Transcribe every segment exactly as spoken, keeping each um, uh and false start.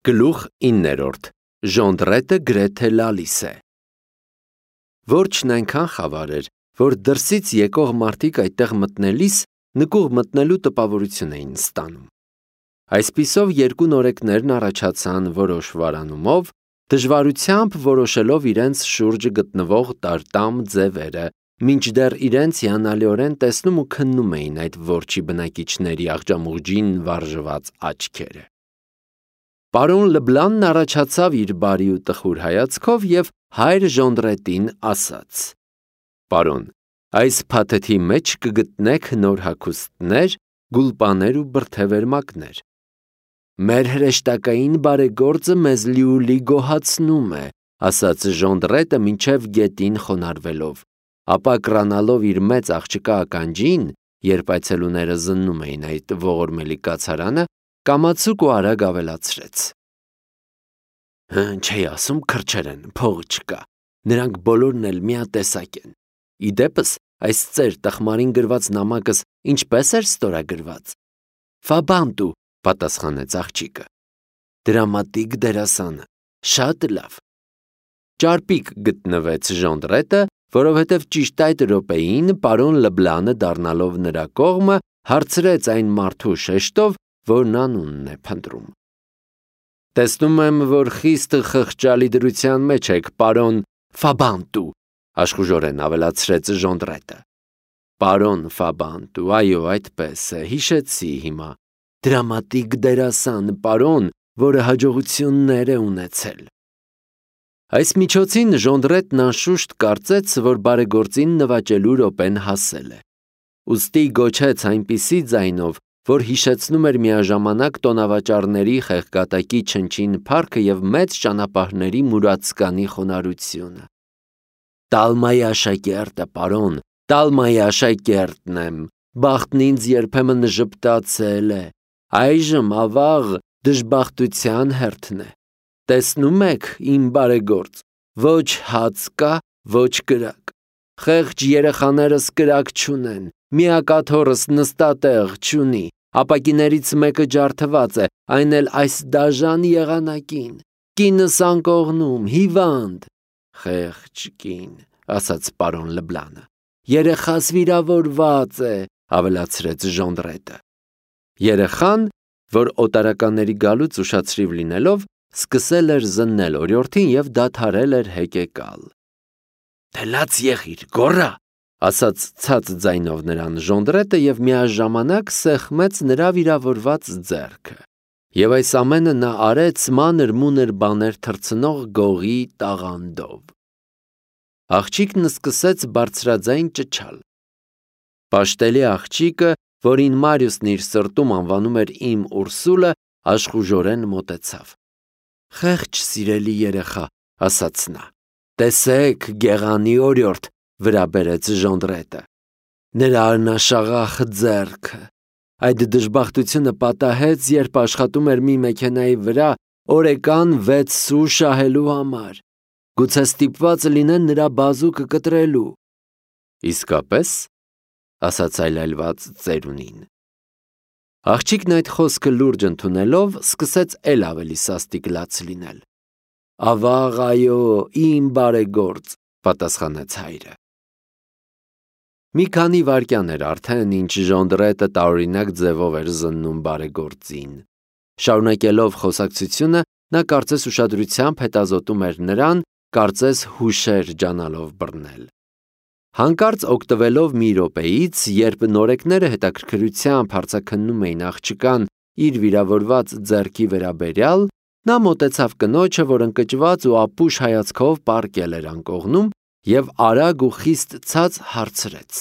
Գլուխ իններորդ Ժոնդրետը գրեթե լալիս է։ Որջն այնքան խավար էր, որ դրսից եկող մարդիկ այդտեղ մտնելիս նկուղ մտնելու տպավորություն էին ստանում։ Այսպիսով երկու նորեկներն առաջացան որոշ վարանումով, դժվարությամբ որոշելով իրենց շուրջը գտնվող տարտամ ձևերը, մինչդեռ իրենց հիանալիորեն տեսնում ու քննում էին այդ որջի բնակիչների աղջամուղջին վարժված աչքերը։ Պարոն Լբլանն առաջացավ իր բարի ու տխուր հայացքով և հայր Ժոնդրետին ասաց. «Պարոն, այս փաթեթի մեջ կգտնեք նոր հագուստներ, գուլպաներ ու բրդեվերմակներ։ Մեր հրեշտակային բարեգործը մեզ լիուլի գոհացնում է», ասաց Ժոնդրետը մինչև գետին խոնարհվելով, ապա կրանալով իր մեծ աղջկա ականջին, երբ այցելուները զննում էին այդ ողորմելի կացարանը, կամացուկ ու արագ ավելացրեց. «Չէի ասում քրջեր են, փող չկա, նրանք բոլորն էլ միատեսակ են։ Ի դեպս, այս ծեր տխմարին գրված նամակս ինչպես էր ստորագրված»։ «Ֆաբանտու», պատասխանեց աղջիկը։ «Դրամատիկ դերասանը, շատ լավ»։ Ճարպիկ գտնվեց Ժոնդրետը, որովհետև ճիշտ այդ րոպեին պարոն Լբլանը դառնալով նրա կողմը, հարցրեց այն մարդու շեշտով, որն անունն է փնտրում. «Տեսնում եմ, որ խիստ խղճալի դրության մեջ եք, պարոն Ֆաբանտու», աշխուժորեն ավելացրեց Ժոնդրետը։ «Պարոն Ֆաբանտու, այո, այդպես է, հիշեցի հիմա, դրամատիկ դերասան, պարոն, որը հաջողություններ է ունեցել»։ Այս միջոցին Ժոնդրետն անշուշտ կարծեց, որ բարեգործին նվաճելու րոպեն հասել է։ Ուստի գոչեց այնպիսի ձայնով, որ հիշեցնում էր միաժամանակ տոնավաճառների խեղկատակի չնչին փառքը և մեծ ճանապարհների մուրացկանի խոնարհությունը. «Տալմայի աշակերտը, պարոն, Տալմայի աշակերտն եմ, բախտն ինձ երբեմն ժպտացել է, այժմ ավաղ դժբախտության հերթն է։ Տեսնում եք, իմ բարեգործ, ոչ հաց կա, ոչ կրակ, խեղճ երեխաներս կրակ չունեն, միակաթոռս նստատեղ չունի, ապակիներից մեկը ջարդված է, այն էլ այս դաժան եղանակին, կինս անկողնում, հիվանդ»։ «Խեղճ կին», ասաց պարոն Լբլանը։ «Երեխաս վիրավորված է», ավելացրեց Ժոնդրետը։ Երեխան, որ օտարականների գալուց ուշացրիվ լինելով, սկսել էր զննել օրիորդին և դադարել էր հեկեկալ։ «Դե լաց եղիր, գոռա», ասաց ցած ձայնով նրան Ժոնդրետը և միաժամանակ սեղմեց նրա վիրավորված ձեռքը։ Եվ այս ամենը նա արեց մանր-մունր բաներ թռցնող գողի տաղանդով։ Աղջիկն սկսեց բարձրաձայն ճչալ։ Պաշտելի աղջիկը, որին Մարիուսն իր սրտում անվանում էր իմ Ուրսուլը, աշխուժորեն մոտեցավ։ «Խեղճ սիրելի երեխա», ասաց նա։ «Տեսեք, գեղանի օրիորդ», վրա բերեց Ժոնդրետը։ «Նրա անաշաղախ ձեռքը։ Այդ դժբախտությունը պատահեց, երբ աշխատում էր մի մեքենայի վրա օրեկան վեց սու շահելու համար։ Գուցե ստիպված լինեն նրա բազուկը կտրելու»։ «Իսկապես», ասաց այլայլված ծերունին։ Աղջիկն այդ խոսքը լուրջ ընդունելով, սկսեց էլ ավելի սաստիկ լաց լինել։ «Ավաղ, այո, իմ բարեգործ», պատասխանեց հայրը։ Մի քանի վայրկյան էր արդեն, ինչ Ժոնդրետը տարօրինակ ձևով էր զննում բարեգործին։ Շարունակելով խոսակցությունը, նա կարծես ուշադրությամբ հետազոտում էր նրան, կարծես հուշեր ջանալով բռնել։ Հանկարծ օգտվելով մի րոպեից, երբ նորեկները հետաքրքրությամբ հարցաքննում էին աղջկան իր վիրավորված ձեռքի վերաբերյալ, նա մոտեցավ կնոջը, որ ընկճված ու ապուշ հայացքով պառկել էր անկողնում, և արագ ու խիստ ցած հարցրեց.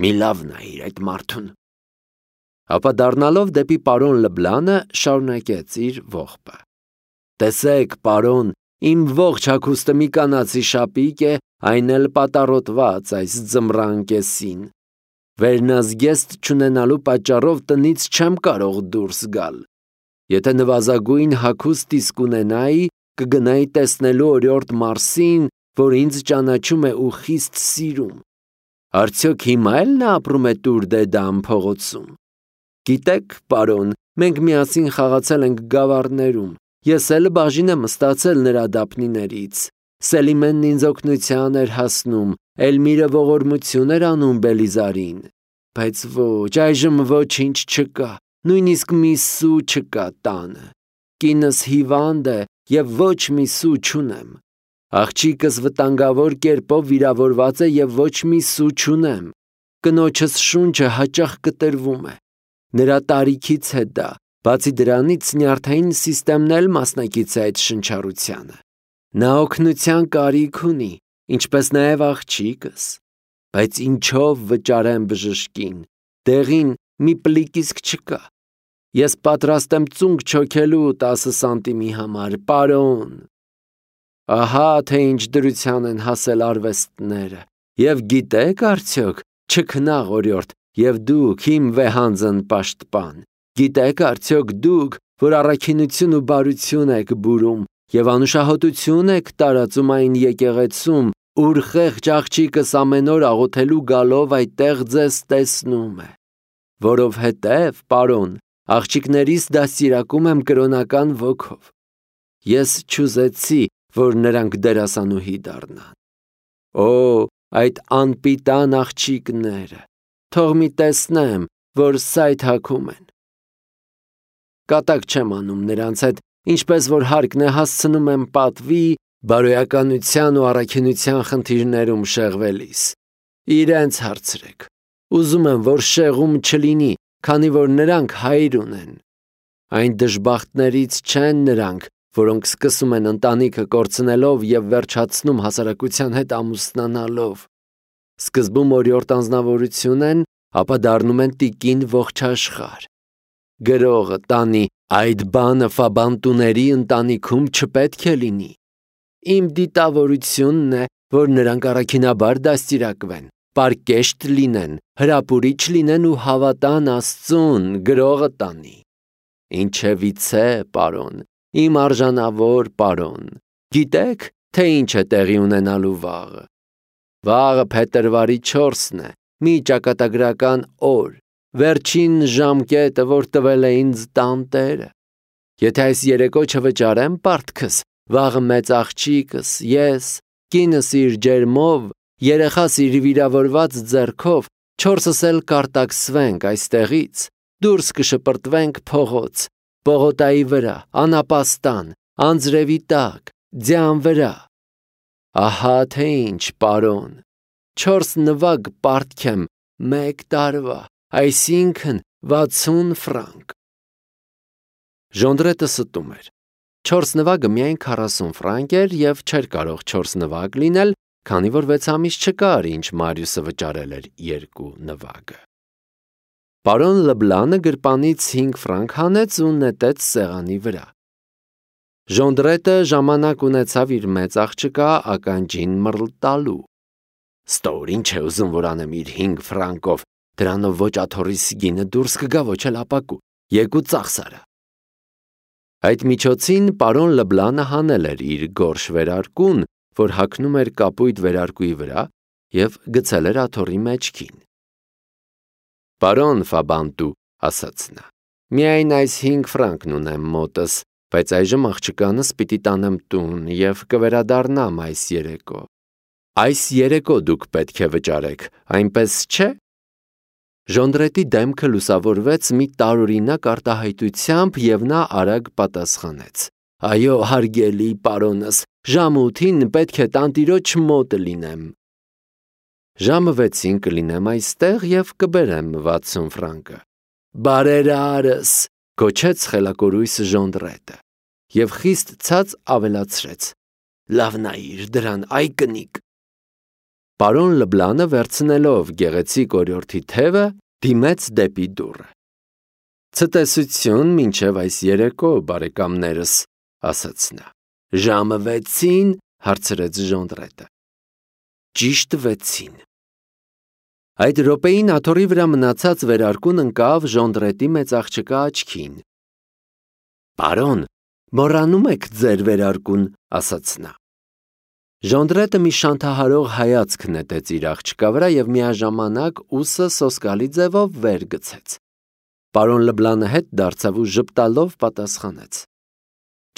«Մի լավ նայիր այդ մարդուն»։ Ապա դառնալով դեպի պարոն Լբլանը, շարունակեց իր ողբը. «Տեսեք, պարոն, իմ ողջ հագուստը մի կանացի շապիկ է, այն էլ պատառոտված այս ձմռան կեսին։ Վերնազգեստ չունենալու պատճառով տնից չեմ կարող դուրս գալ։ Եթե նվազագույն հագուստ իսկ ունենայի, կգնայի տեսնելու օրիորդ Մարսին, որ ինձ ճանաչում է ու խիստ սիրում։ Արդյոք հիմա էլ նա ապրում է Տուր դե Դամ փողոցում։ Գիտեք, պարոն, մենք միասին խաղացել ենք գավառներում, ես էլ բաժին եմ ստացել նրա դափնիներից, Սելիմենն ինձ օգնության էր հասնում, Էլմիրը ողորմություն էր անում Բելիզարին, բայց ոչ, այժմ ոչինչ չկա, նույնիսկ մի սու չկա տանը, կինս հիվանդ է և ոչ մի սու չունեմ, աղջիկս վտանգավոր կերպով վիրավորված է և ոչ մի սու չունեմ, կնոջս շունչը հաճախ կտրվում է, նրա տարիքից է դա, բացի դրանից նյարդային սիստեմն էլ մասնակից է այդ շնչառությանը, նա օգնության կարիք ունի, ինչպես նաև աղջիկս, բայց ինչով վճարեմ բժշկին, դեղին մի պլիկ իսկ չկա, ես պատրաստ եմ ծունկ չոքելու տասը սանտիմի համար, պարոն, ահա թե ինչ դրության են հասել արվեստները, և գիտեք արդյոք, չքնաղ օրիորդ, և դուք իմ վեհանձն պաշտպան, գիտեք արդյոք դուք, որ առաքինություն ու բարություն եք բուրում և անուշահոտություն եք տարածում այն եկեղեցում, ուր խեղճ աղջիկս ամեն օր աղոթելու գալով այդտեղ ձեզ տեսնում է, որովհետև, պարոն, աղջիկներիս դաստիարակում եմ կրոնական ոգով, ես չուզեցի, որ նրանք դերասանուհի դառնան, օ, այդ անպիտան աղջիկները, թող մի տեսնեմ, որ սայթաքում են, կատակ չեմ անում նրանց հետ, ինչպես որ հարկն է հասցնում եմ պատվի, բարոյականության ու առաքինության խնդիրներում շեղվելիս, իրենց հարցրեք, ուզում եմ, որ շեղում չլինի, քանի որ նրանք հայր ունեն, այն դժբախտներից չեն նրանք, որոնք սկսում են ընտանիքը կորցնելով և վերջացնում հասարակության հետ ամուսնանալով, սկզբում օրիորդ անձնավորություն են, ապա դառնում են տիկին ողջաշխար, գրողը տանի, այդ բանը Ֆաբանտուների ընտանիքում չպետք է լինի, իմ դիտավորությունն է, որ նրանք առաքինաբար դաստիարակվեն, պարկեշտ լինեն, հրապուրիչ լինեն ու հավատան Աստծուն, գրողը տանի, ինչևիցե, պարոն, իմ արժանավոր պարոն, գիտեք, թե ինչ է տեղի ունենալու վաղը, վաղը փետրվարի չորսն է, մի ճակատագրական օր, վերջին ժամկետը, որ տվել է ինձ տանտերը, եթե այս երեկո չվճարեմ պարտքս, վաղը մեծ աղջիկս, ես, կինս իր ջերմով, երեխաս իր վիրավորված ձեռքով, չորսս էլ կարտաքսվենք այստեղից, դուրս կշպրտվենք փողոց, պողոտայի վրա, անապաստան, անձրևի տակ, ձյան վրա, ահա թե ինչ, պարոն, չորս նվագ պարտք եմ մեկ տարվա, այսինքն վաթսուն ֆրանկ, Ժոնդրետը ստում էր, չորս նվագը միայն քառասուն ֆրանկ էր և չէր կարող չորս նվագ լինել, քանի որ վեց ամիս չկար, ինչ Մարիուսը վճարել էր երկու նվագը, պարոն Լբլանը գրպանից հինգ ֆրանկ հանեց ու նետեց սեղանի վրա, Ժոնդրետը ժամանակ ունեցավ իր մեծ աղջկա ականջին մռլտալու, ստոր ինչ է ուզում, որ անեմ իր հինգ ֆրանկով, դրանով ոչ աթոռիս գինը դուրս կգա, ոչ էլ ապակու, եկու ծախսարա, այդ միջոցին պարոն Լբլանը հանել էր իր գորշ վերարկուն, որ հագնում էր կապույտ վերարկուի վրա և գցել էր աթոռի մեջքին, պարոն Ֆաբանտու, ասաց նա, միայն այս հինգ ֆրանկն ունեմ մոտս, բայց այժմ աղջկանս պիտի տանեմ տուն և կվերադառնամ այս երեկո, այս երեկո դուք պետք է վճարեք, այնպես չէ, Ժոնդրետի դեմքը լուսավորվեց մի տարօրինակ արտահայտությամբ և նա արագ պատասխանեց, այո, հարգելի պարոնս, ժամը ութին պետք է տանտիրոջ մոտ լինեմ, ժամը վեցին կլինեմ այստեղ և կբերեմ վաթսուն ֆրանկը, բարերարս, գոչեց խելակորույս Ժոնդրետը և խիստ ցած ավելացրեց, լավ նայիր դրան, այ կնիկ, պարոն Լբլանը վերցնելով գեղեցիկ օրիորդի թևը, դիմեց դեպի դուռը, ցտեսություն մինչև այս երեկո, բարեկամներս, ասաց նա, ժամը վեցին, հարցրեց Ժոնդրետը, ճիշտ վեցին, այդ րոպեին աթոռի վրա մնացած վերարկուն ընկավ Ժոնդրետի մեծ աղջկա աչքին, պարոն, մոռանում եք ձեր վերարկուն, ասաց նա, Ժոնդրետը մի շանթահարող հայացք նետեց իր աղջկա վրա և միաժամանակ ուսը սոսկալի ձևով վեր գցեց, Պարոն Լբլանը հետ դարձավ ու ժպտալով պատասխանեց.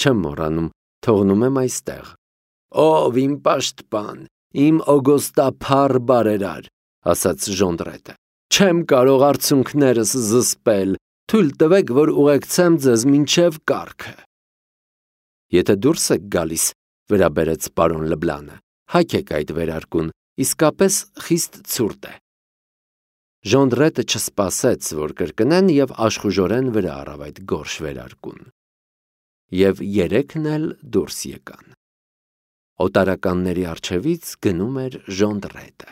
Չեմ մոռանում, թողնում եմ այստեղ։ Ով իմ պաշտպան, իմ օգոստափառ բարերար, ասաց Ժոնդրետը։ Չեմ կարող արցունքներս զսպել, թույլ տվեք, որ ուղեկցեմ ձեզ մինչև կառքը։ Եթե դուրս եք գալիս, վերաբերեց պարոն Լբլանը, հագեք այդ վերարկուն, իսկապես խիստ ցուրտ է։ Ժոնդրետը չսպասեց, որ կրկնեն և աշխուժորեն վրա առավ այդ գորշ վերարկուն։ Եվ երեքն էլ դուրս եկան։ Օտարականների առջևից գնում էր Ժոնդրետը։